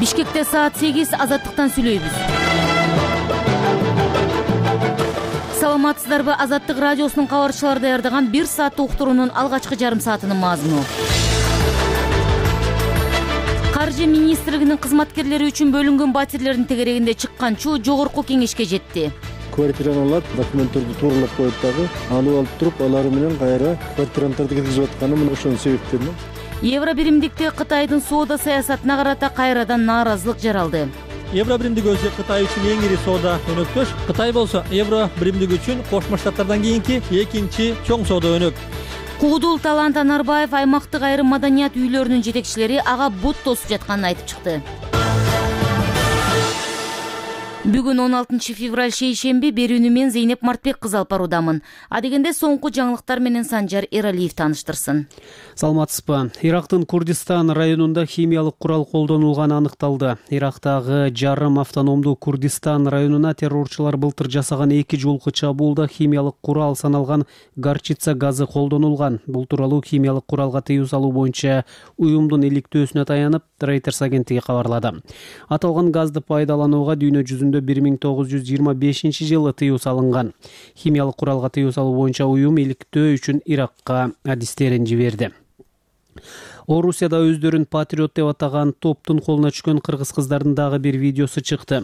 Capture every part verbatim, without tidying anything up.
Бишкекте саат сегиз, Азаттыктан сүйлөйбүз. Саламатсыздарбы? Азаттык радиосунун кабарчылары даярдаган бир сааттык уктуруунун алгачкы жарым саатынын мазмуну. Каржы министрлигинин кызматкерлери үчүн бөлүнгөн батирлердин тегерегинде чыккан чуу жогорку кеңешке жетти. Квартираны алат, документтерди тууралап коюп дагы алып алып туруп, алар менен кайра квартирантарды киргизип атканы мына ошонун себептеринен. Евро биримдикте Кытайдын соода саясатына карата кайрадан нааразылык жаралды. Евро биримдиги өзү Кытай үчүн эң ири соода өнөктөш. Кытай болсо евро биримдиги үчүн Кошмо Штаттардан кийинки экинчи чоң соода өнөк. Куудул Талант Анарбаев аймактык айрым маданият үйлөрүнүн жетекчилери ага бут тосуп жатканын айтып чыкты. Бүгүн он алтынчы февраль шейшемби, берүүнү мен Зейнеп Мартбек кызы алып баруудамын. Адегенде соңку жаңылыктар менен Санжар Эралиев тааныштырсын. Саламатсызбы? Ирактын Курдистан районунда химиялык курал колдонулганы аныкталды. Ирактагы жарым автономдуу Курдистан районуна террорчулар былтыр жасаган эки жолку чабуулда химиялык курал саналган горчица газы колдонулган. Бул тууралуу химиялык куралга тыюу салуу боюнча уюмдун иликтөөсүнө таянып, Reuters агенттиги кабарлады. Аталган газды пайдаланууга дүйнө жүзүндө бир миң тогуз жүз жыйырма бешинчи жылы тыюу салынган. Химиялык куралга тыюу салуу боюнча уюм иликтөө үчүн Иракка адистерин жиберди. Орусияда өздөрүн патриот деп атаган топтун колуна түшкөн кыргыз кыздардын дагы бир видеосу чыкты.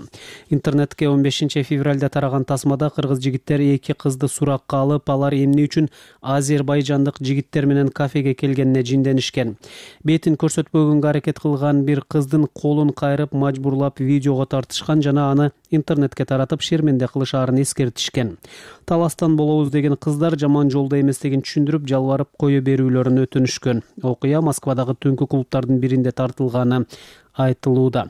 Интернетке он бешинчи февралда тараган тасмада кыргыз жигиттер эки кызды суракка алып, алар эмне үчүн азербайжандык жигиттер менен кафеге келгенине жинденишкен. Бетин көрсөтпөгөнгө аракет кылган бир кыздын колун кайрып, мажбурлап видеого тартышкан жана аны интернетке таратып шерменде кылышаарын эскертишкен. Таластан болобуз деген кыздар жаман жолдо эместигин түшүндүрүп, жалбарып кое берүүлөрүн өтүнүшкөн. Окуя Москвадагы түнкү клубтардын биринде тартылганы айтылууда.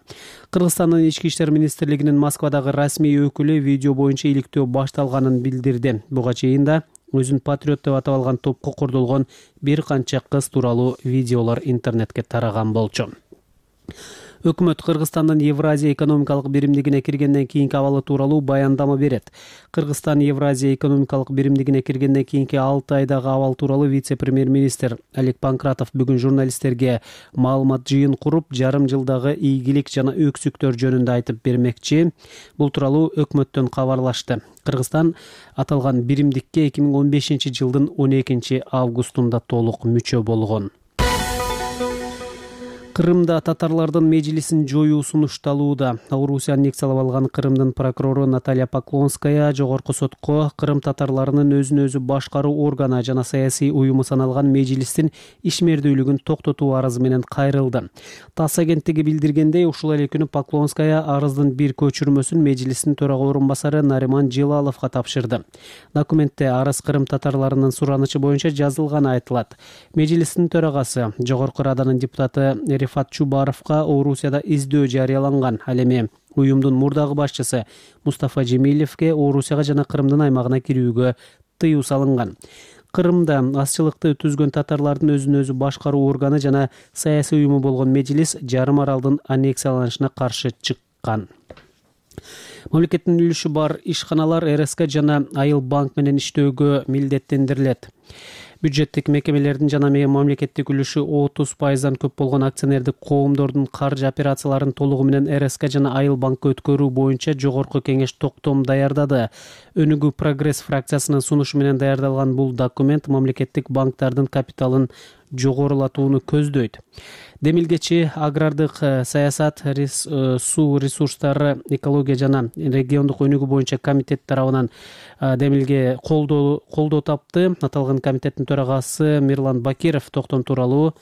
Кыргызстандын ички иштер министрлигинин Москвадагы расмий өкүлү видео боюнча иликтөө башталганын билдирди. Буга чейин да өзүн патриот деп атап алган топко кордолгон бир канча кыз тууралуу видеолор интернетке тараган болчу. Өкмөт Кыргызстандын Евразия экономикалык биримдигине киргенден кийинки абалы тууралуу баяндама берет. Кыргызстан Евразия экономикалык биримдигине киргенден кийинки алты айдагы абал тууралуу вице-премьер-министр Олег Панкратов бүгүн журналисттерге маалымат жыйын куруп, жарым жылдагы ийгилик жана өксүктөр жөнүндө айтып бермекчи. Бул тууралуу өкмөттөн кабарлашты. Кыргызстан аталган биримдикке эки миң он бешинчи жылдын он экинчи августунда толук мүчө болгон. Кырымда татарлардын мejlisин жоюу сунушталууда. Орусия аннексиялап алган Кырымдын прокурору Наталья Поклонская жогорку сотко Кырым татарларынын өзүн өзү башкаруу органы жана саясий уюму саналган мejлистин ишмердүүлүгүн токтотуу арызы менен кайрылды. ТАСС агенттиги билдиргендей, ушул эле күнү Поклонская арыздын бир көчүрмөсүн мejлистин төрага орун басары Нариман Желаловго тапшырды. Документте арыз Кырым татарларынын суранычы боюнча жазылганы айтылат. Мejлистин төрагасы Жогорку Раданын депутаты Рифат Чубаровга Орусияда издөө жарыяланган. Ал эми уюмдун мурдагы башчысы Мустафа Жемилевге Орусияга жана Кырымдын аймагына кирүүгө тыюу салынган. Кырымда азчылыкты түзгөн татарлардын өзүн өзү башкаруу органы жана саясий уюму болгон мejlis жарым аралдын аннексияланышына каршы чыккан. Мамлекеттин үлүшү бар ишканалар эр эс ка жана Айыл банк менен иштөөгө милдеттендирилет. Бюджеттик мекемелердин жана мамлекеттик үлүшү отуз пайыздан көп болгон акционердик коомдордун каржы операцияларын толугу менен эр эс ка жана Айыл банкка өткөрүү боюнча жогорку кеңеш токтом даярдады. Өнүгүү прогресс фракциясынын сунушу менен даярдалган бул документ мамлекеттик банктардын капиталын жогорулатууну көздөйт. Демилгечи агрардык саясат, рес, суу ресурстары, экология жана региондук өнүгүү боюнча комитет тарабынан демилге колдоо колдоо тапты. Аталган комитеттин төрагасы Мирлан Бакиров токтом тууралуу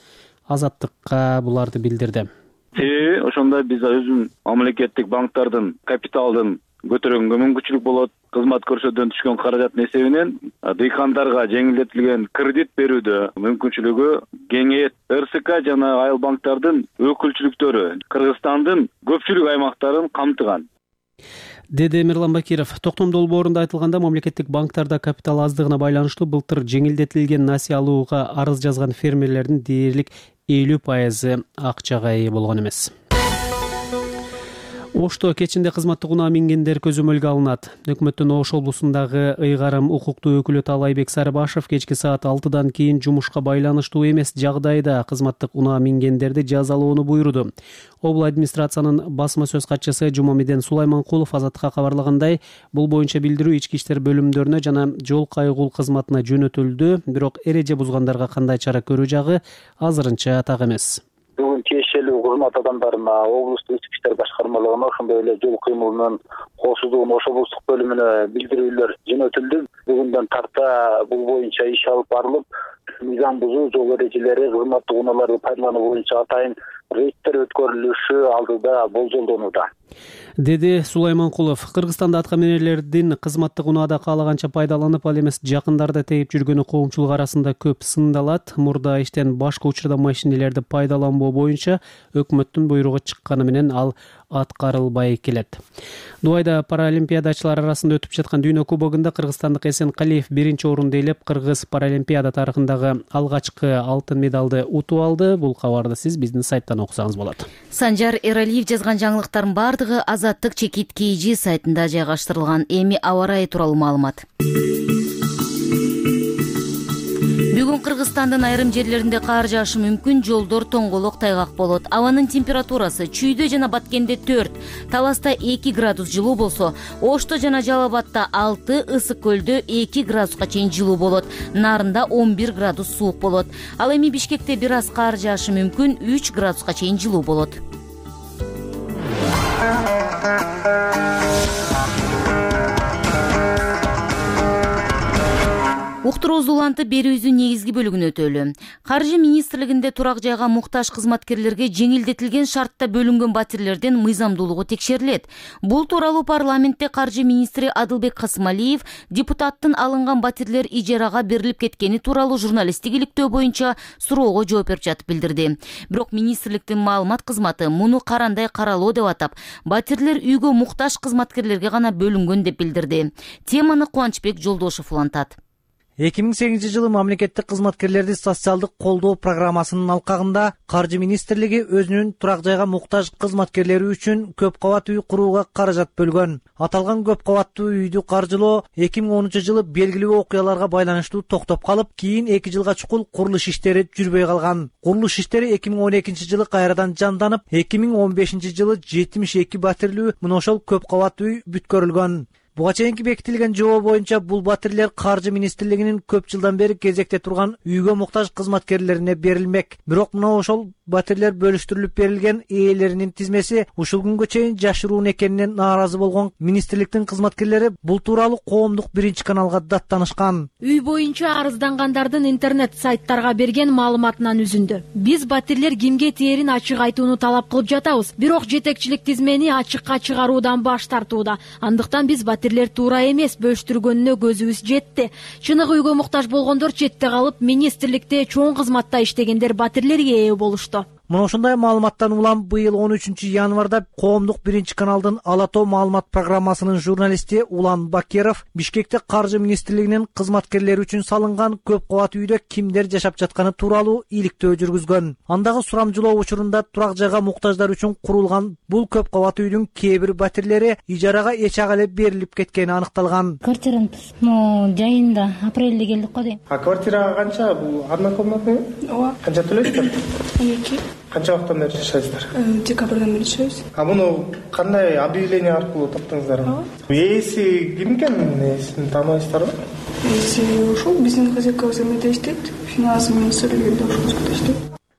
Азаттыкка буларды билдирди. Себеби ошондо биз өзүн мамлекеттик банктардын капиталдын көтөргөнгө мүмкүнчүлүк болот. Кызмат көрсөтүүдөн түшкөн каражаттын эсебинен дыйкандарга жеңилдетилген кредит берүүдө мүмкүнчүлүгү кеңейет. эр эс ка жана Айыл банктардын өкүлчүлүктөрү Кыргызстандын көпчүлүк аймактарын камтыган. Деди Мирлан Бакиров. Токтом долбоорунда айтылганда, мамлекеттик банктарда капитал аздыгына байланыштуу былтыр жеңилдетилген насыя алууга арыз жазган фермерлердин дээрлик элүү пайызы акчага ээ болгон эмес. Ошто кечинде кызматтык унаа мингендер көзөмөлгө алынат. Өкмөттүн Ош облусундагы ыйгарым укуктуу өкүлү Талайбек Сарыбашев кечки саат алтыдан кийин жумушка байланыштуу эмес жагдайда кызматтык унаа мингендерди жазалоону буйруду. Обл администрациянын басма сөз катчысы Жумамеден Сулайманкулов Азаттыкка кабарлагандай, бул боюнча билдирүү ички иштер бөлүмдөрүнө жана жол кайгул кызматына жөнөтүлдү, бирок эреже бузгандарга кандай чара көрүү жагы азырынча так эмес. Бүгүн тиешелүү кызмат адамдарына облустук ички иштер башкармалыгына ошондой эле жол кыймылынын коопсуздугунун Ош облустук бөлүмүнө билдирүүлөр жөнөтүлдү. Бүгүндөн тарта бул боюнча иш алып барылып, мыйзам бузуу, жол эрежелери, кызматтык унааларды пайдалануу боюнча атайын рейдтер өткөрүлүшү алдыда болжолдонууда, деди Сулайманкулов. Кыргызстанда атка минерлердин кызматтык унаада каалаганча пайдаланып, ал эмес жакындарды тээп жүргөнү коомчулук арасында көп сындалат. Мурда иштен башка учурда машинелерди пайдаланбоо боюнча өкмөттүн буйругу чыкканы менен ал аткарылбай келет. Дубайда паралимпиадачылар арасында өтүп жаткан дүйнө кубогунда кыргызстандык Эсен Калиев биринчи орунду ээлеп, кыргыз паралимпиада тарыхындагы алгачкы алтын медалды утуп алды. Бул кабарды сиз биздин сайттан окусаңыз болот. Санжар Эралиев жазган жаңылыктардын бардыгы Азаттык чекит kg сайтында жайгаштырылган. Эми аба ырайы тууралуу маалымат. Бүгүн Кыргызстандын айрым жерлеринде кар жаашы мүмкүн, жолдор тоңголок тайгак болот. Абанын температурасы Чүйдө жана Баткенде төрт, Таласта эки градус жылуу болсо, Ошто жана Жалал Абадта алты, Ысык көлдө эки градуска чейин жылуу болот. Нарында он бир градус суук болот. Ал эми Бишкекте бир аз кар жаашы мүмкүн, үч градуска чейин жылуу болот. Уктуруубузду улантып берүүбүздүн негизги бөлүгүн өтөлү. Каржы министрлигинде турак жайга муктаж кызматкерлерге жеңилдетилген шартта бөлүнгөн батирлердин мыйзамдуулугу текшерилет. Бул тууралуу парламентте каржы министри Адылбек Касымалиев депутаттын алынган батирлер ижарага берилип кеткени тууралуу журналисттик иликтөө боюнча суроого жооп берип жатып билдирди. Бирок министрликтин маалымат кызматы муну карандай каралоо деп атап, батирлер үйгө муктаж кызматкерлерге гана бөлүнгөн деп билдирди. Теманы Кубанычбек Жолдошев улантат. эки миң сегизинчи жылы мамлекеттик кызматкерлерди социалдык колдоо программасынын алкагында Каржы министрлиги өзүнүн турак жайга муктаж кызматкерлери үчүн көп кабат үй курууга каражат бөлгөн. Аталган көп кабаттуу үйдү каржылоо эки миң онунчу жылы белгилүү окуяларга байланыштуу токтоп калып, кийин эки жылга чукул курулуш иштери жүрбөй калган. Курулуш иштери эки миң он экинчи жылы кайрадан жанданып, эки миң он бешинчи жылы жетимиш эки батирлүү мына ошол көп кабаттуу үй бүткөрүлгөн. Буга чейинки бекитилген жобо боюнча бул батирлер Каржы министрлигинин көп жылдан бери кезекте турган үйгө муктаж кызматкерлерине берилмек. Бирок мына ошол батирлер бөлүштүрүлүп берилген ээлеринин тизмеси ушул күнгө чейин жашыруун экенинен нааразы болгон министрликтин кызматкерлери бул тууралуу коомдук биринчи каналга даттанышкан. Үй боюнча арыздангандардын интернет сайттарга берген маалыматынан үзүндү. Биз батирлер кимге тээрин ачык айтууну талап кылып жатабыз, бирок жетекчилик тизмени ачыкка чыгаруудан баш тартууда. Андыктан биз батирлер туура эмес бөлүштүргөнүнө көзүбүз жетти. Чыныгы үйгө муктаж болгондор четте калып, министрликте чоң кызматта иштегендер батирлерге ээ болушту. Мына ошондой маалыматтан улам быйыл он үчүнчү январда коомдук биринчи каналдын Ала тоо маалымат программасынын журналисти Улан Бакеров Бишкекте Каржы министрлигинин кызматкерлери үчүн салынган көп кабат үйдө кимдер жашап жатканы тууралуу иликтөө жүргүзгөн. Андагы сурамжылоо учурунда турак жайга муктаждар үчүн курулган бул көп кабат үйдүн кээ бир батирлери ижарага эч ага эле берилип кеткени аныкталган. Квартиранын ну жайында апрелде келдик го дейм. А квартира канча? Бул однокомнатный? Ооба. Канча төлөйсүздөр? он эки. Канча вакыттан бери жашайсыздар? Декабрдан бери жашайбыз. А муну кандай объявление аркылуу таптыңыздар? Ээси ким экен? Ээсин тааныбайсыздарбы? Ээси ушул биздин хозяйкабыз эмеде иштейт. Финансы министрлигинде ошол жерде иштейт.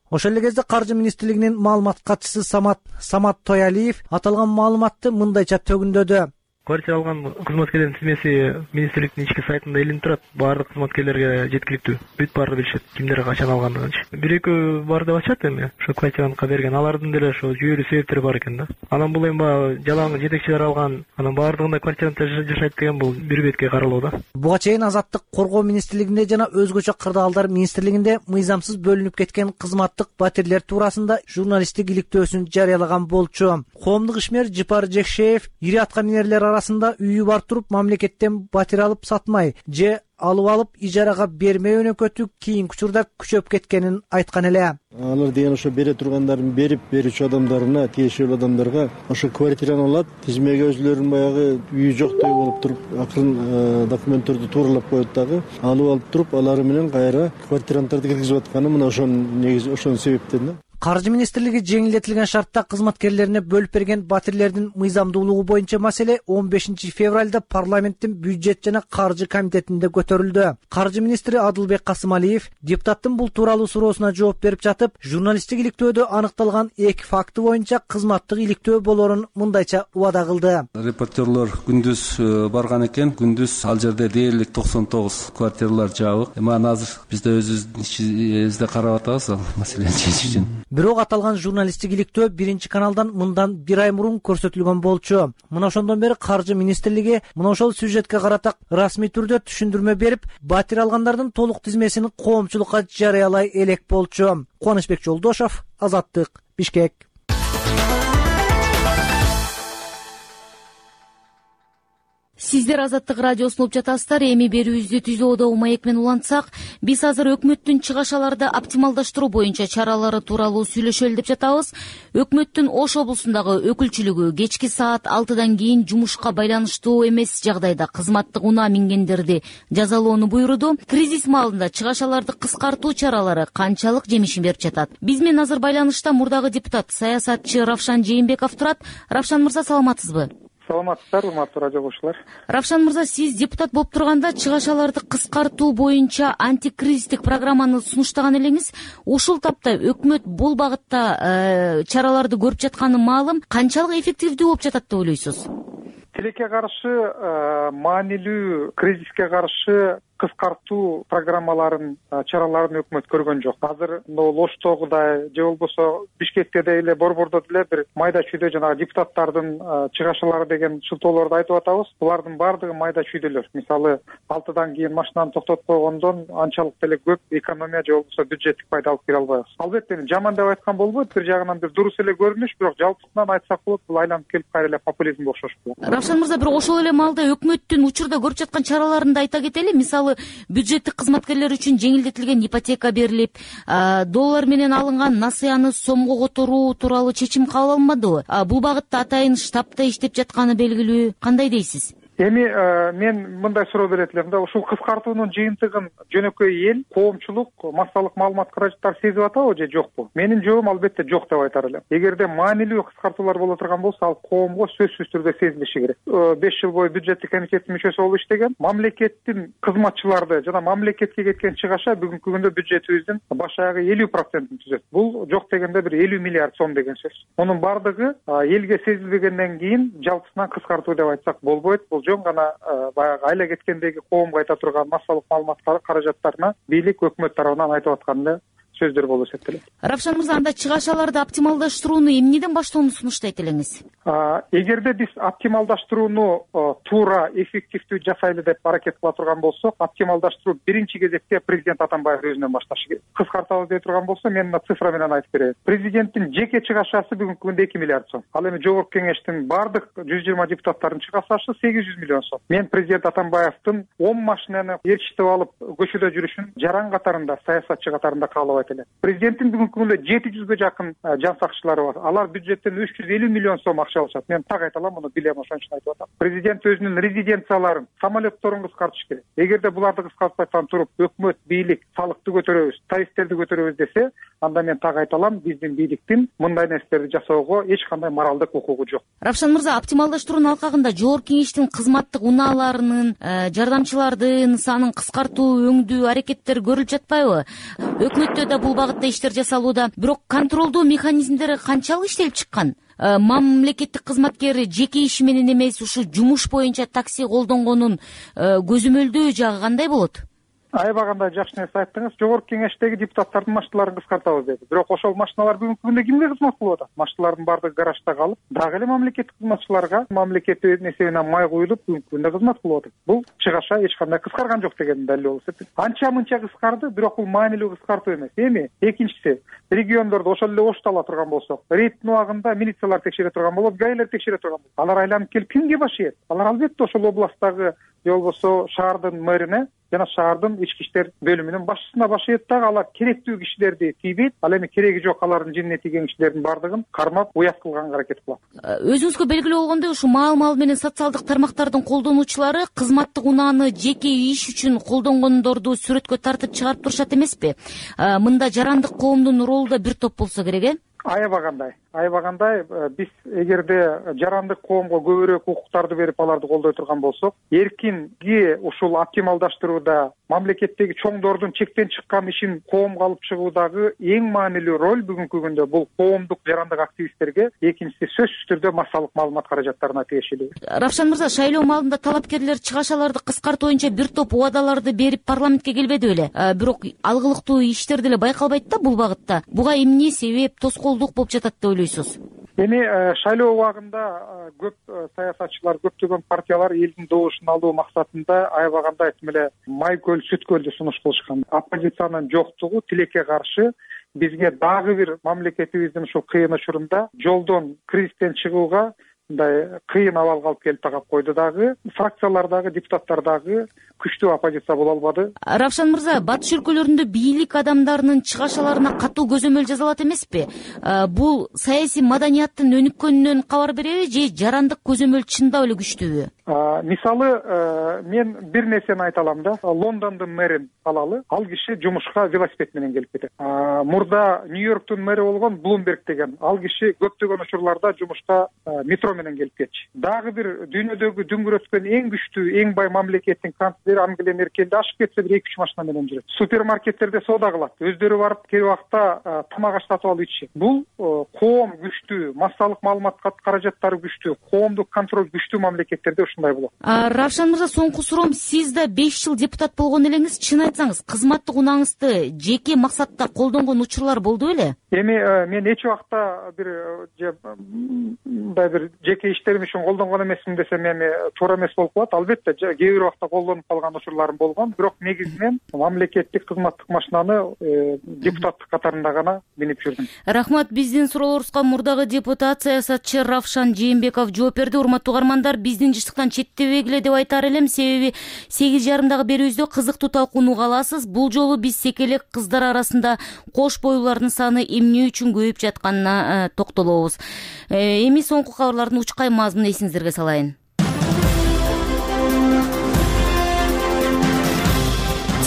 Ошол эле кезде Каржы министрлигинин маалымат катчысы Самат Самат Тоялиев аталган маалыматты мындайча төгүндөдү. Квартира алган кызматкерлердин тизмеси министрликтин ички сайтында илинип турат. Баардык кызматкерлерге жеткиликтүү. Бүт баары билишет, кимдер качан алгандыгынчы. Бир экөө бар деп атышат эми. Ошо квартираны берген. Алардын деле ошо жүйөлүү себептери бар экен да. Анан бул эми баягы жалаң жетекчилер алган, анан баардыгында квартирада жашайт деген бул бир бетке каралуу да. Буга чейин Азаттык коргоо министрлигинде жана өзгөчө кырдаалдар министрлигинде мыйзамсыз бөлүнүп кеткен кызматтык батирлер туурасында журналисттик иликтөөсүн жарыялаган болчу. Коомдук ишмер Жипар Жекшеев ири атка минерлер арасында үйү бар туруп мамлекеттен батир алып сатмай же алып алып ижарага бермей өнөкөтү кийинки учурда күчөп кеткенин айткан эле. Алар деген ошо бере тургандарын берип берүүчү адамдарына, тиешелүү адамдарга ошо квартираны алат, тизмеге өзүлөрүнүн баягы үйү жоктой болуп туруп, акырын документтерди тууралап коет дагы, алып алып туруп, алары менен кайра квартирантарды киргизип атканы мына ошонун негизи, ошонун себептен да. Каржы министрлиги жеңилдетилген шартта кызматкерлерине бөлүп берген батирлердин мыйзамдуулугу боюнча маселе он бешинчи февралда парламенттин бюджет жана каржы комитетинде көтөрүлдү. Каржы министри Адылбек Касымалиев депутаттын бул тууралуу суроосуна жооп берип жатып, журналисттик иликтөөдө аныкталган эки факты боюнча кызматтык иликтөө болоорун мындайча убада кылды. Репортерлор күндүз барган экен, күндүз ал жерде дээрлик токсон тогуз квартиралар жабык. Эми аны азыр бизде өзүбүздүн ичибизде карап атабыз ал маселени чечиш үчүн. Бирок аталган журналисттик иликтөө биринчи каналдан мындан бир ай мурун көрсөтүлгөн болчу. Мына ошондон бери Каржы министрлиги мына ошол сюжетке карата расмий түрдө түшүндүрмө берип, батир алгандардын толук тизмесин коомчулукка жарыялай элек болчу. Кубанычбек Жолдошов, Азаттык, Бишкек. Сиздер Азаттык радиосун угуп жатасыздар. Эми берүүбүздү түзүүдө маек менен улантсак, биз азыр өкмөттүн чыгашаларды оптималдаштыруу боюнча чаралары тууралуу сүйлөшөлү деп жатабыз. Өкмөттүн Ош облусундагы өкүлчүлүгү кечки саат алтыдан кийин жумушка байланыштуу эмес жагдайда кызматтык унаа мингендерди жазалоону буйруду. Кризис маалында чыгашаларды кыскартуу чаралары канчалык жемишин берип жатат? Биз менен азыр байланышта мурдагы депутат, саясатчы Равшан Жээнбеков турат. Равшан мырза, саламатсызбы? Саламатсыздар, урматтуу радио көрүүчүлөр. Равшан мырза, сиз депутат болуп турганда чыгашаларды кыскартуу боюнча антикризистик программаны сунуштаган элеңиз. Ушул тапта өкмөт бул багытта чараларды көрүп жатканы маалым. Канчалык эффективдүү болуп жатат деп ойлойсуз? Тилекке каршы, маанилүү кризиске каршы кыскартуу программаларын, чараларын өкмөт көргөн жок. Азыр могу Оштогудай же болбосо Бишкекте эле, Борбордо деле бир майда чүйдө жанагы депутаттардын чыгашалары деген шылтоолорду айтып атабыз. Булардын баардыгы майда чүйдөлөр. Мисалы, алтыдан кийин машинаны токтотуп койгондон анчалык деле көп экономия же болбосо бюджеттик пайда алып келе албайбыз. Албетте жаман деп айткан болбойт, бир жагынан бир дурус эле көрүнүш, бирок жалпысынан айтсак болот, бул айланып келип кайра эле популизмге окшош болот. Равшан мырза, бирок ошол эле маалда өкмөттүн учурда көрүп жаткан чараларын да айта кетели. Мисалы, бюджеттик кызматкерлер үчүн жеңилдетилген ипотека берилип, доллар менен алынган насыяны сомго которуу тууралуу чечим кабыл алынбадыбы? Бул багытта атайын штабта иштеп жатканы белгилүү. Кандай дейсиз? Эми мен мындай суроо берет элем да, ушул кыскартуунун жыйынтыгын жөнөкөй эл, коомчулук, массалык маалымат каражаттар сезип атабы же жокпу? Менин жообум албетте жок деп айтар элем. Эгерде маанилүү кыскартуулар боло турган болсо, ал коомго сөзсүз түрдө сезилиши керек. беш жыл бою бюджеттик комитеттин мүчөсү болуп иштеген. Мамлекеттин кызматчыларды жана мамлекетке кеткен чыгаша бүгүнкү күндө бюджетибиздин баш аягы элүү процентин түзөт. Бул жок дегенде бир элүү миллиард сом деген сөз. Мунун бардыгы элге сезилбегенден кийин жалпысынан кыскартуу деп айтсак болбойт. Бул жөн гана баягы айла кеткендеги коомго айта турган массалык маалымат каражаттарына бийлик, өкмөт тарабынан айтып атканда сөздөр болуп эсептелет. Равшан мырза, анда чыгашаларды оптималдаштырууну эмнеден баштоону сунуштайт элеңиз? Эгерде биз оптималдаштырууну туура, эффективдүү жасайлы деп аракет кыла турган болсок, оптималдаштыруу биринчи кезекте президент Атамбаев өзүнөн башташы керек. Кыскартабыз дей турган болсо, мен мына цифра менен айтып берейин. Президенттин жеке чыгашасы бүгүнкү күндө эки миллиард сом. Ал эми жогорку кеңештин бардык жүз жыйырма депутаттардын чыгашасы сегиз жүз миллион сом. Мен президент Атамбаевдин он машинаны ээрчитип алып көчөдө жүрүшүн жаран катарында, саясатчы катарында каалабайт элем. Президенттин бүгүнкү күндө жети жүзгө жакын жан сакчылары бар. Алар бюджеттен үч жүз элүү миллион сом акча алышат. Мен так айта алам, муну билем, ошон үчүн айтып атам. Президент өзүнүн резиденцияларын, самолетторун кыскартыш керек. Эгерде буларды кыскартпастан туруп, өкмөт, бийлик салыкты көтөрөбүз, тарифтерди көтөрөбүз десе, анда мен так айта алам, биздин бийликтин мындай нерселерди жасоого эч кандай моралдык укугу жок. Равшан мырза, оптималдаштыруунун алкагында жогорку кеңештин кызматтык унааларынын, жардамчылардын санын кыскартуу өңдүү аракеттери көрүлүп жатпайбы? Өкмөттө да бул багытта иштер жасалууда, бирок контролдоо механизмдери канчалык иштелип чыккан? Мамлекеттик кызматкер жеке иши менен эмес, ушу жумуш боюнча такси колдонгонун көзөмөлдөө жагы кандай болот? Аябагандай жакшы нерсе айттыңыз. Жогорку кеңештеги депутаттардын машиналарын кыскартабыз деди. Бирок ошол машиналар бүгүнкү күндө кимге кызмат кылып атат? Машиналардын баардыгы гаражда калып, дагы эле мамлекеттик кызматчыларга мамлекеттик несебинен май куюлуп бүгүнкү күндө кызмат кылып атат. Бул чыгаша эч кандай кыскарган жок деген далил болуп эсептейт. Анча мынча кыскарды, бирок бул маанилүү кыскартуу эмес. Эми экинчиси, региондордо ошол эле ошту ала турган болсок, рейдтин убагында милициялар текшере турган болот, гаилер текшере турган болот. Алар айланып келип кимге баш ийет? Алар албетте ошол областтагы же болбосо шаардын мэрине жана шаардын ички иштер бөлүмүнүн башчысына баш ийет дагы. Алар керектүү кишилерди тийбейт, ал эми кереги жок алардын жинине тийген кишилердин баардыгын кармап уят кылганга аракет кылат. Өзүңүзгө белгилүү болгондой, ушу маал маал менен социалдык тармактардын колдонуучулары кызматтык унааны жеке иш үчүн колдонгондорду сүрөткө тартып чыгарып турушат эмеспи? Мында жарандык коомдун ролу да бир топ болсо керек, э? Аябагандай, аябагандай биз эгерде жарандык коомго көбүрөөк укуктарды берип аларды колдой турган болсок, эркинги ушул оптималдаштырууда мамлекеттеги чоңдордун чектен чыккан ишин коомго алып чыгуудагы эң маанилүү роль бүгүнкү күндө бул коомдук жарандык активисттерге, экинчиси сөзсүз түрдө массалык маалымат каражаттарына тиешелүү. Равшан мырза, шайлоо маалында талапкерлер чыгашаларды кыскартуу боюнча бир топ убадаларды берип парламентке келбеди беле? Бирок алгылыктуу иштер деле байкалбайт да бул багытта. Буга эмне себеп, тоскоолдук болуп жатат деп ойлойсуз? Эми шайлоо убагында көп саясатчылар, көптөгөн партиялар элдин добушун алуу максатында аябагандай айтым эле майкөл, сүткөлдү сунуш кылышкан. Оппозициянын жоктугу тилекке каршы бизге дагы бир мамлекетибиздин ушул кыйын учурунда жолдон, кризистен чыгууга мындай кыйын абалга алып келип тагап койду. Дагы фракциялардагы депутаттар дагы күчтүү оппозиция боло албады. Равшан мырза, батыш өлкөлөрүндө бийлик адамдарынын чыгашаларына катуу көзөмөл жасалат эмеспи? Бул саясий маданияттын өнүккөнүнөн кабар береби же жарандык көзөмөл чындап эле күчтүүбү? Мисалы, мен бир нерсени айта алам да. Лондондун мэрин алалы. Ал киши жумушка велосипед менен келип кетет. Мурда Нью-Йорктун мэри болгон Блумберг деген ал киши көптөгөн учурларда жумушка метро менен келип кетчү. Дагы бир дүйнөдөгү дүңгүрөткөн эң күчтүү, эң бай мамлекеттин канцлери Ангела Меркель ашып кетсе бир эки үч машина менен жүрөт. Супермаркеттерде соода кылат. Өздөрү барып кээ убакта тамак аштатып алып ичишет. Бул коом күчтүү, массалык маалымат каражаттары күчтүү, коомдук контроль күчтүү мамлекеттерде ушундай болот. Равшан мырза, соңку суроом, сиз да беш жыл депутат болгон элеңиз, чын айтсаңыз, кызматтык унааңызды жеке максатта колдонгон учурлар болду беле? Эми мен эч убакта бир мындай бир жеке иштерим үчүн колдонгон эмесмин десем эми туура эмес болуп калат. Албетте кээ бир убакта колдонуп калган учурларым болгон, бирок негизинен мамлекеттик кызматтык машинаны депутаттык катарында гана минип жүрдүм. Рахмат, биздин суроолорубузга мурдагы депутат, саясатчы Равшан Жээнбеков жооп берди. Урматтуу угармандар, биздин жыштыктан четтебегиле деп айтар элем, себеби сегиз жарымдагы берүүбүздө кызыктуу талкууну аласыз. Бул жолу биз секелек кыздар арасында кош бойлуулардын саны эмне үчүн көбөйүп жатканына токтолобуз. Эми соңку кабарлардын учкай мазмунун эсиңиздерге салайын.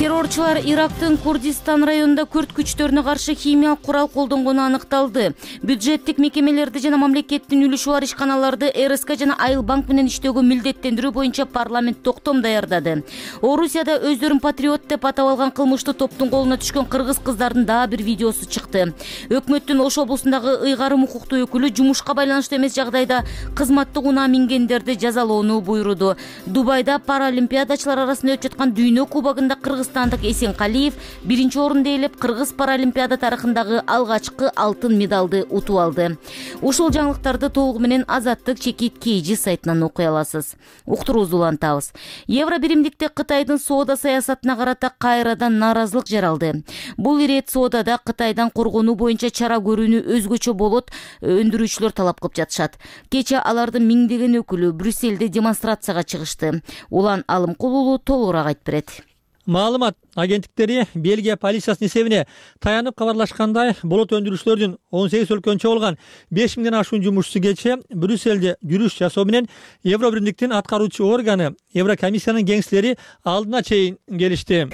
Террорчулар Ирактын Курдистан районунда күрд күчтөрүнө каршы химиялык курал колдонгону аныкталды. Бюджеттик мекемелерди жана мамлекеттин үлүшү бар ишканаларды эр эс ка жана Айыл банк менен иштөөгө милдеттендирүү боюнча парламент токтом даярдады. Орусияда өздөрүн патриот деп атап алган кылмыштуу топтун колуна түшкөн кыргыз кыздардын дагы бир видеосу чыкты. Өкмөттүн Ош облусундагы ыйгарым укуктуу өкүлү жумушка байланыштуу эмес жагдайда кызматтык унаа мингендерди жазалоону буйруду. Дубайда паралимпиадачылар арасында өтүп жаткан дүйнө кубогунда кыргызстандык Эсенкалиев биринчи орунду ээлеп, кыргыз паралимпиада тарыхындагы алгачкы алтын медалды утуп алды. Ушул жаңылыктарды толугу менен Азаттык чекит Кейжи сайтынан окуй аласыз. Уктуруубузду улантабыз. Евро биримдикте Кытайдын соода саясатына карата кайрадан нааразылык жаралды. Бул ирет соодада Кытайдан коргонуу боюнча чара көрүүнү өзгөчө болот, өндүрүүчүлөр талап кылып жатышат. Кече алардын миңдеген өкүлү Брюссельде демонстрацияга чыгышты. Улан Алымкулулу толугураак айтып берет. Маалымат агенттиктери Бельгия полициясынын эсебине таянып кабарлашкандай, болот өндүрүүчүлөрдүн он сегиз өлкөнү чогулган беш миңден ашуун жумушчусу кече Брюссельде жүрүш жасоо менен Евро биримдиктин аткаруучу органы Еврокомиссиянын кеңшилери алдына чейин келишти.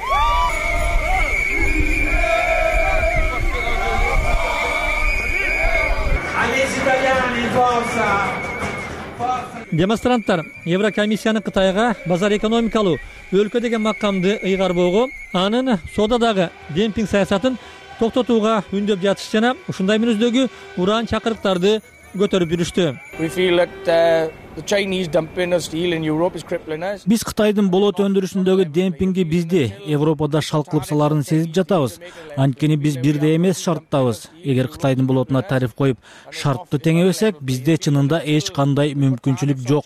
Демонстранттар Еврокомиссиянын Кытайга базар экономикалуу өлкө деген макамды ыйгарбоого, анын соодадагы демпинг саясатын токтотууга үндөп жатыш жана ушундай мүнөздөгү уран чакырыктарды көтөрүп жүрүштү. Биз Кытайдын болот өндүрүшүндөгү демпингди бизди Европада шалкылып саларын сезип жатабыз. Анткени биз бирдей эмес шарттабыз. Эгер Кытайдын болотуна тариф коюп шартты теңебесек, бизде чынында эч кандай мүмкүнчүлүк жок.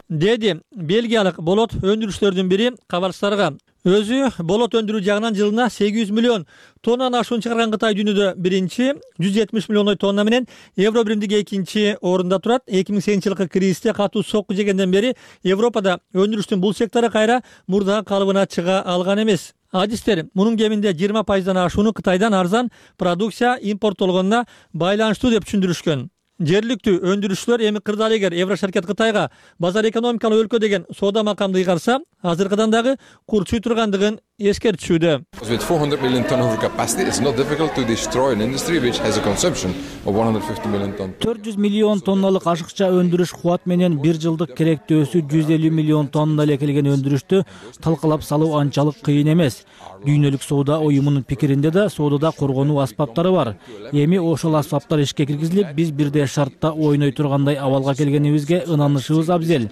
Деди бельгиялык болот өндүрүүчүлөрдүн бири кабарчыларга. Өзү болот өндүрүү жагынан жылына сегиз жүз миллион тоннаны ашуун чыгарган Кытай дүйнөдө биринчи, жүз жетимиш миллиондой тонна менен евро биримдиги экинчи орунда турат. эки миң сегизинчи жылкы кризисте катуу сокку жегенден бери Европада өндүрүштүн бул сектору кайра мурдагы калыбына чыга алган эмес. Адистер мунун кеминде жыйырма пайыздан ашууну Кытайдан арзан продукция импорттолгонуна байланыштуу деп түшүндүрүшкөн. Жергиликтүү өндүрүүчүлөр эми кырдаал эгер Еврошеркет Кытайга базар экономикалык өлкө деген соода макамды ыйгарса, азыркыдан дагы курчуй тургандыгын эскертишүүдө. With four hundred million ton of capacity, it's not difficult to destroy an industry which has a consumption of one hundred fifty million ton. төрт жүз миллион тонналык ашыкча өндүрүш кубат менен бир жылдык керектөөсү жүз элүү миллион тонна эле келген өндүрүштү талкалап салуу анчалык кыйын эмес. Дүйнөлүк соода уюмунун пикиринде да соодада коргонуу аспаптары бар. Эми ошол аспаптар ишке киргизилип, биз бирдей шартта ойной тургандай абалга келгенибизге ынанышыбыз абзел.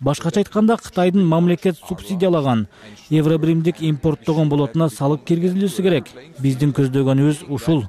Башкача айтканда, Кытайдын мамлекет субсидиялаган евро биримдик импорттогон болотуна салык киргизилүүсү керек. Биздин көздөгөнүбүз ушул.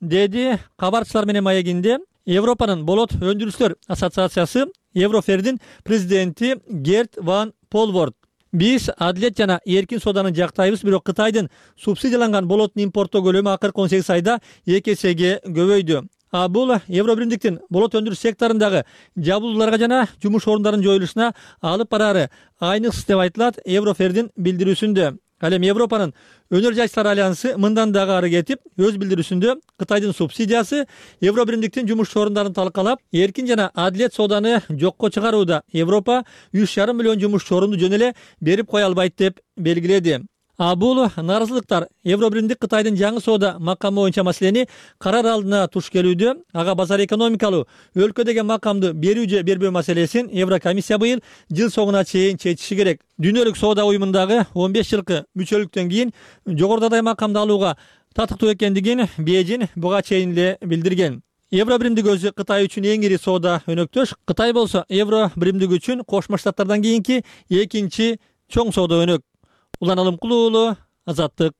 Деди кабарчылар менен маегинде Европанын болот өндүрүүчүлөр ассоциациясы Еврофердин президенти Герт ван Полворд. Биз адилет жана эркин сооданы жактайбыз, бирок Кытайдын субсидияланган болоттун импорттоо көлөмү акыркы он сегиз айда эки эсеге көбөйдү. А бул евро биримдиктин болот өндүрүш секторундагы жабылууларга жана жумуш орундарынын жоюлушуна алып барары айныксыз деп айтылат Еврофердин билдирүүсүндө. Ал эми Европанын өнөр жайчылар альянсы мындан дагы ары кетип, өз билдирүүсүндө Кытайдын субсидиясы евро биримдиктин жумуш орундарын талкалап, эркин жана адилет сооданы жокко чыгарууда Европа үч жарым миллион жумуш орунду жөн эле берип кое албайт деп белгиледи. А бул нааразылыктар евро биримдик Кытайдын жаңы соода макамы боюнча маселени карар алдына туш келүүдө. Ага базар экономикалуу өлкө деген макамды берүү же бербөө маселесин Еврокомиссия быйыл жыл соңуна чейин чечиши керек. Дүйнөлүк соода уюмундагы он беш жылкы мүчөлүктөн кийин жогорудагы макамды алууга татыктуу экендигин Бейжин буга чейин эле билдирген. Евро биримдик өзү Кытай үчүн эң ири соода өнөктөш. Кытай болсо евро биримдик үчүн Кошмо Штаттардан кийинки экинчи чоң соода өнөк. Улан Алымкулуу уулу, Азаттык.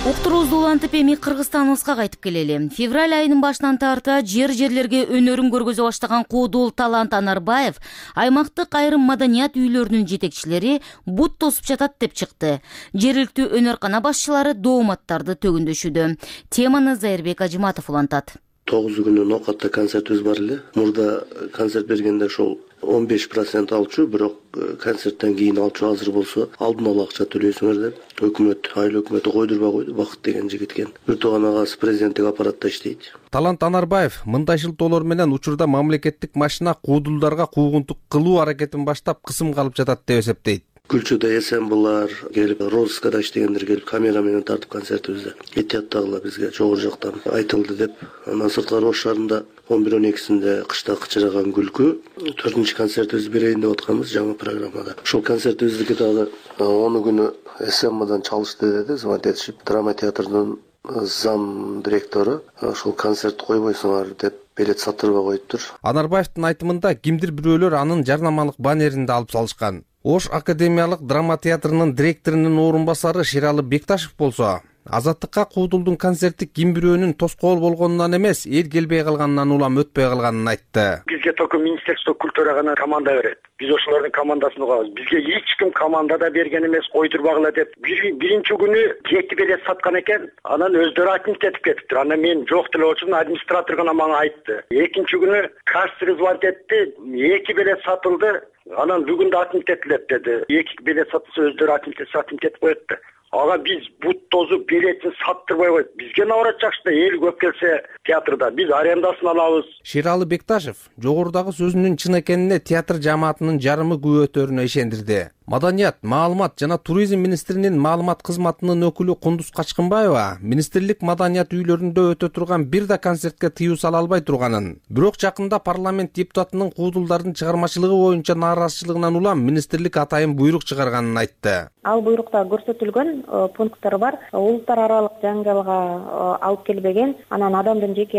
Уктуруубузду улантып эми Кыргызстаныбызга кайтып келели. Февраль айынын башынан тарта жер жерлерге өнөрүн көргөзө баштаган куудул Талант Анарбаев аймактык айрым маданият үйлөрүнүн жетекчилери бут тосуп жатат деп чыкты. Жергиликтүү өнөркана башчылары дооматтарды төгүндөшүүдө. Теманы Зайырбек Ажыматов улантат. тогуз күнү Нокатта концертибиз бар эле. Мурда концерт бергенде ошол он беш процент алчу, бирок концерттен кийин алчу азыр болсо алдын ала акча төлөйсүңөр деп өкмөт, айыл өкмөтү койдурбай койду. Бакыт деген жигит экен. Бир тууган агасы президенттик аппаратта иштейт. Талант Анарбаев мындай шылтоолор менен учурда мамлекеттик машина куудулдарга куугунтук кылуу аракетин баштап кысымга алып жатат деп эсептейт. Күлчүдө эсемблар келип, розыскада иштегендер келип, камера менен тартып концертибизде этияттагылар бизге жогору жактан айтылды деп. Анан сырткары Ош шаарында он бир он экисинде кышта кычыраган күлкү төртүнчү концертибизди берейин деп атканбыз жаңы программада. Ошол концертибиздики дагы он күнү эсэмбадан чалышты деди, звонить этишип, драма театрдын зам директору ошол концерт койбойсуңар деп билет сатырбай коюптур. Анарбаевдин айтымында кимдир бирөөлөр анын жарнамалык баннерин да алып салышкан. Ош академиялык драма театрынын директорунун орун басары Шералы Бекташев болсо, Азаттыкка куудулдун концерти ким бирөөнүн тоскоол болгонунан эмес, эл келбей калганынан улам өтпөй калганын айтты. Бизге только Министерство культуры гана команда берет. Биз ошолордун командасын угабыз. Бизге эч ким командада берген эмес, койдурбагыла деп. Биринчи күнү эки билет саткан экен, анан өздөрү отмит этип кетиптир. Анан мен жок деле болчумун, администратор гана мага айтты. Экинчи күнү кассир звонить этти, эки билет сатылды. Анан бүгүн да отмит этилет деди. Эки билет сатылса өздөрү отмит этип коет. Ага биз бут тозуп билетин саттырбай койдук. Бизге наоборот жакшы, эл көп келсе театрда биз арендасын алабыз. Шералы Бекташев жогорудагы сөзүнүн чын экенине театр жамаатынын жарымы күбө өтөрүнө ишендирди. Маданият, маалымат жана туризм министринин маалымат кызматынын өкүлү Кундуз Качкынбаева министрлик маданият үйлөрүндө өтө турган бир да концертке тыюу сала албай турганын, бирок жакында парламент депутатынын куудулдардын чыгармачылыгы боюнча нааразычылыгынан улам министрлик атайын буйрук чыгарганын айтты. Ал буйрукта көрсөтүлгөн пункттар бар. Улуттар аралык жаңгылга алып келбеген, анан адамдын жеке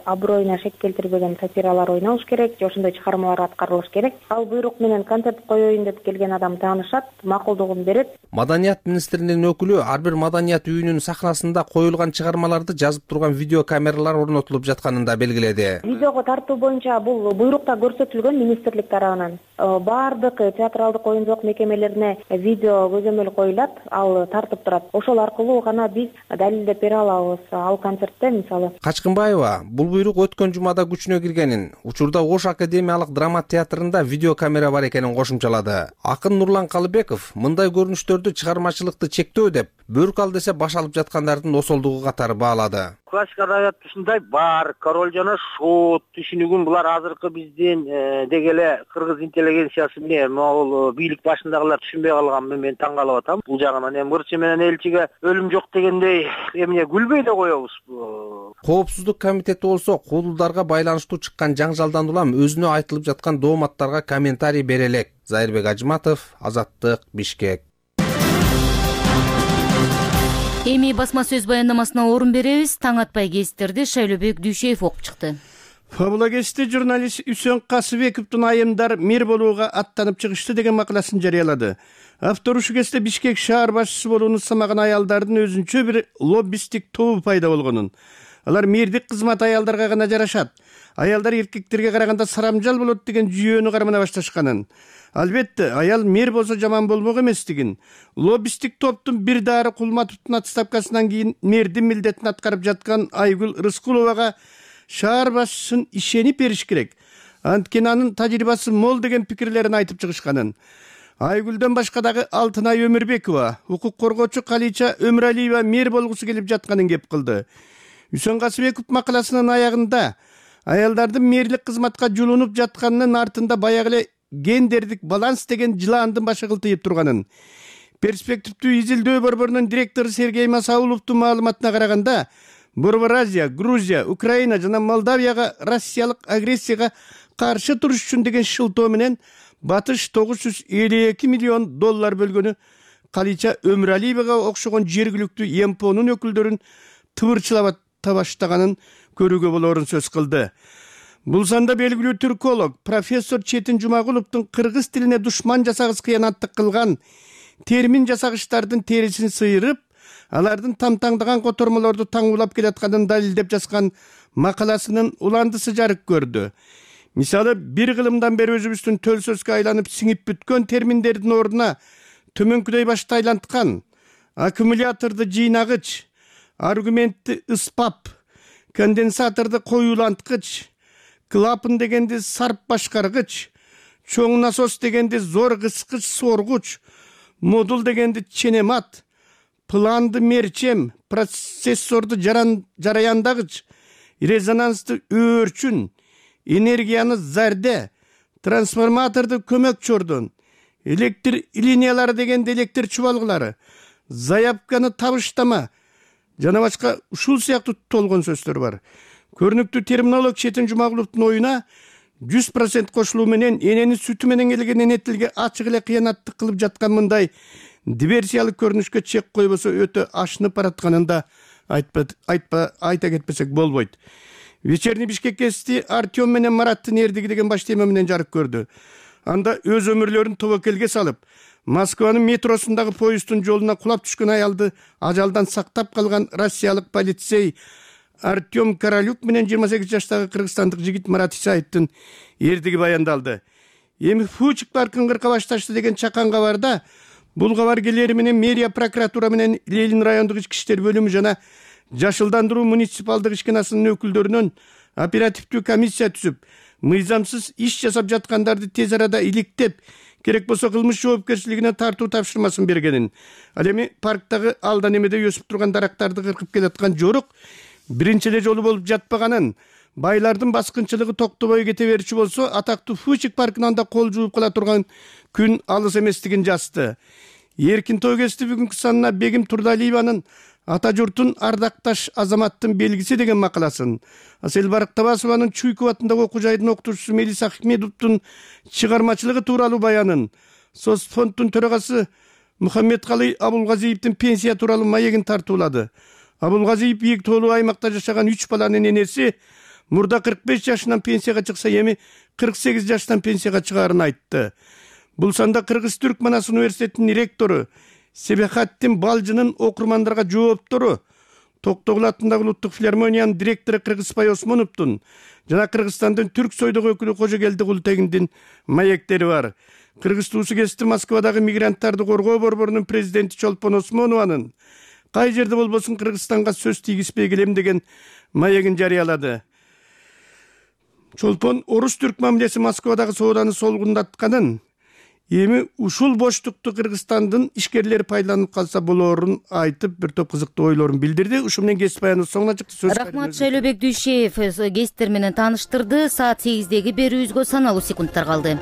аброюна шек келтирбеген сатиралар ойнолуш керек, же ошондой чыгармалар аткарылыш керек. Ал буйрук менен концерт коеюн деп келген адам таанышат, макулдугун берет. Маданият министринин өкүлү ар бир маданият үйүнүн сахнасында коюлган чыгармаларды жазып турган видео камералар орнотулуп жатканын да белгиледи. Видеого тартуу боюнча бул буйрукта көрсөтүлгөн министрлик тарабынан баардык театралдык оюн-жоок мекемелерине видео көзөмөл коюлат, ал тартып турат. Ошол аркылуу гана биз далилдеп бере алабыз. Ал концертте мисалы. Качкынбаева бул буйрук өткөн жумада күчүнө киргенин, учурда Ош академиялык драма театрында видео камера бар экенин кошумчалады. Акын Нурлан Калыбеков мындай көрүнүштөрдү чыгармачылыкты чектөө деп, бөрк ал десе баш алып жаткандардын осолдугу катары баалады. Классик адабият ушундай бар, Король жана Шут түшүнүгүн булар азыркы биздин деги эле кыргыз интеллигенциясы менен могул бийлик башындагылар түшүнбөй калганын мен таң калып атам. Бул жагынан эми Мырчы менен элчиге өлүм жок дегендей эмне күлбөй да коебуз. Коопсуздук комитети болсо куудулдарга байланыштуу чыккан жаңжалдан улам өзүнө айтылып жаткан дооматтарга комментарий бере элек. Зайырбек Ажматов, Азаттык, Бишкек. Эми басма сөз баяндамасына орун беребиз. Таң атпай кестерди Шайлообек Дүйшеев окуп чыкты. Фабула кести журналист Үсөн Касыбековдун айымдар мэр болууга аттанып чыгышты деген макаласын жарыялады. Автор ушу кесте Бишкек шаар башчысы болууну ысамаган аялдардын өзүнчө бир лоббисттик тобу пайда болгонун. Алар мэрдик кызмат аялдарга гана жарашат. Аялдар эркектерге караганда сарамжал болот деген жүйөнү кармана башташканын. Албетте, аял мэр болсо жаман болмок эместигин, лоббисттик топтун бир дары Кулматовдун отставкасынан кийин мэрдин милдетин аткарып жаткан Айгүл Рыскуловага шаар башчысын ишенип бериш керек. Анткени анын тажрыйбасы мол деген пикирлерин айтып чыгышканын. Айгүлдөн башка дагы Алтынай Өмүрбекова, укук коргоочу Калича Өмүралиева мэр болгусу келип жатканын кеп кылды. Үсөн Касыбеков макаласынын аягында аялдардын мэрлик кызматка жулунуп жатканынын артында баягы эле гендердик баланс деген жылаандын башы кылтыйып турганын, перспективдүү изилдөө борборунун директору Сергей Масауловдун маалыматына караганда, Борбор Азия, Грузия, Украина жана Молдавияга Россиялык агрессияга каршы туруш үчүн деген шылтоо менен Батыш тогуз жүз элүү эки миллион доллар бөлгөнү Калича Өмүралиевага окшогон жергиликтүү Эмпонун өкүлдөрүн тыбырчылап баштаганын көрүүгө болоорун сөз кылды. Бул санда белгилүү түрколог профессор Четин Жумагуловдун кыргыз тилине душман жасагыс кыянаттык кылган термин жасагычтардын терисин сыйрып, алардын тамтаңдаган котормолорду таңуулап келатканын далилдеп жазган макаласынын уландысы жарык көрдү. Мисалы, бир кылымдан бери өзүбүздүн төл сөзгө айланып сиңип бүткөн терминдердин ордуна төмөнкүдөй башты айланткан аккумуляторду жыйнагыч, аргументти ыспап, конденсаторду коюланткыч, клапан дегенди сарп башкаргыч, чоң насос дегенди зор кыскыч соргуч, модул дегенди ченемат, планды мерчем, процессорду жараяндагыч, резонансты өөрчүн, энергияны зарде, трансформаторду көмөк чордон, электр линиялары дегенди электр чубалгылары, заявканы табыштама жана башка ушул сыяктуу толгон сөздөр бар. Көрүнүктүү терминолог Четин Жумагуловдун оюна жүз процент кошулуу менен энени сүтү менен келген эне тилге ачык эле кыянаттык кылып жаткан мындай диверсиялык көрүнүшкө чек койбосо өтө ашынып баратканын да айтпа айтпа айта кетпесек болбойт. Вечерний Бишкек кести Артем менен Мараттын эрдиги деген баш тема менен жарык көрдү. Анда өз өмүрлөрүн тобокелге салып, Москванын метросундагы поезддун жолуна кулап түшкөн аялды ажалдан сактап калган россиялык полицей Артем Королюк менен жыйырма сегиз жаштагы кыргызстандык жигит Марат Исаевдин эрдиги баяндалды. Эми Фучик паркын кырка башташты деген чакан кабарда бул кабар келери менен мэрия, прокуратура менен Ленин райондук ички иштер бөлүмү жана жашылдандыруу муниципалдык ишканасынын өкүлдөрүнөн оперативдүү комиссия түзүп, мыйзамсыз иш жасап жаткандарды тез арада иликтеп, керек болсо кылмыш жоопкерчилигине тартуу тапшырмасын бергенин. Ал эми парктагы алда немеде өсүп турган дарактарды кыркып келаткан жорук биринчи эле жолу болуп жатпаганын, байлардын баскынчылыгы токтобой кете берчү болсо, атактуу Фучик паркынан да кол жууп кала турган күн алыс эместигин жазды. Эркин той кести бүгүнкү санына Бегим Турдалиеванын ата журтун ардакташ азаматтын белгиси деген макаласын, Асель Барактабасованын Чуйков атындагы окуу жайдын окутуучусу Мелис Ахмедовдун чыгармачылыгы тууралуу баянын, Соцфонддун төрагасы Мухаммедкалый Абулгазиевдин пенсия тууралуу маегин тартуулады. Абулгазиев бийик тоолуу аймакта жашаган үч баланын энеси мурда кырк беш жашынан пенсияга чыкса, эми кырк сегиз жаштан пенсияга чыгаарын айтты. Бул санда Кыргыз Түрк Манас университетинин ректору Себехаттин Балжынын окурмандарга жооптору, Токтогул атындагы улуттук филармониянын директору Кыргызбай Осмоновдун жана Кыргызстандын түрк сойдогу өкүлү Кожогелди Култегиндин маектери бар. Кыргыз туусу кести Москвадагы мигранттарды коргоо борборунун президенти Чолпон Осмонованын кай жерде болбосун Кыргызстанга сөз тийгизбей келем деген маегин жарыялады. Чолпон орус түрк мамилеси Москвадагы сооданы солгундатканын, эми ушул боштукту Кыргызстандын ишкерлери пайдаланып калса болоорун айтып, бир топ кызыктуу ойлорун билдирди. Ушу менен кесип баяныбыз соңуна чыкты. Рахмат, Шайлообек Дүйшеев кесиптер менен тааныштырды. Саат сегиздеги берүүбүзгө саналуу секундтар калды.